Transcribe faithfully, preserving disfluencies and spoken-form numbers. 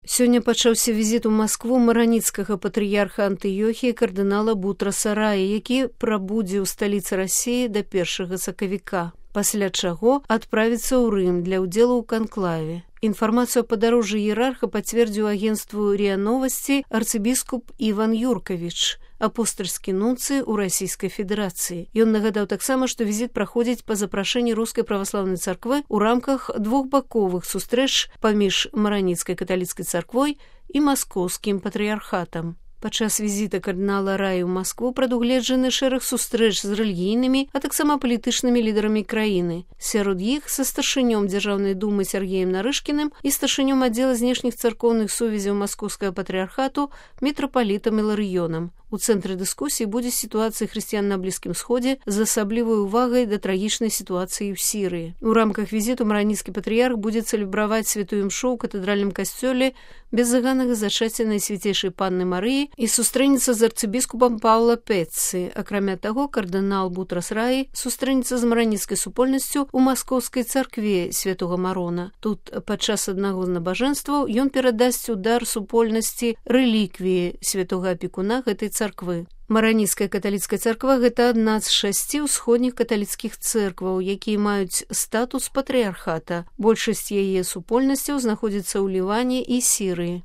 Сёння пачаўся візіт у Маскву мараніцкага патрыярха Антыёхіі кардынала Бутраса Раі, які прабудзе ў сталіцы Расіі да першага сакавіка, пасля чаго адправіцца ў Рым для ўдзелу ў канклаве. Інфармацыю о падарожжы іерарха пацвердзіў агенцтву РИА Новости арцыбіскуп Іван Юркавіч, апостальскі нунцый у Расійскай Федэрацыі. Ён нагадаў таксама, што візіт праходзіць па запрашэнні Рускай праваслаўнай царквы ў рамках двухбаковых сустрэч паміж мараніцкай каталіцкай царквой і маскоўскім патрыярхатам. Падчас візіта кардынала Раі ў Маскву прадугледжаны шэраг сустрэч з рэлігійнымі, а таксама палітычнымі лідарамі краіны. Сярод іх са старшынём Дзяржаўнай думы Сергеем Нарышкіным і старшынём аддзела знешніх царкоўных сувязяў маскоўскага патрыярхату мітрапалітам Іларыёнам. У цэнтры дыскусіі будзе сітуацыя хрысціян на Блізкім Сходзе з асаблівай увагай да трагічнай сітуацыі ў Сірыі. У рамках візіту мараніцкі патрыярх будзе цэлебраваць святую імшу ў катэдральным касцёле беззаганнага зачацця Найсвяцейшай Панны Марыі і сустрэнецца з арцыбіскупам Паўла Пеццы. Акрамя таго, кардынал Бутрас Раі сустрэнецца з мараніцкай супольнасцю ў маскоўскай царкве святога Марона. Тут падчас аднаго з набажэнстваў ён перадасць у дар супольнасці рэліквіі святога апекуна гэтай царквы. Мараніцкая каталіцкая царква – гэта адна з шасці ўсходніх каталіцкіх цэркваў, якія маюць статус патрыярхата. Большасць яе супольнасцяў знаходзіцца ў Ліване і Сірыі.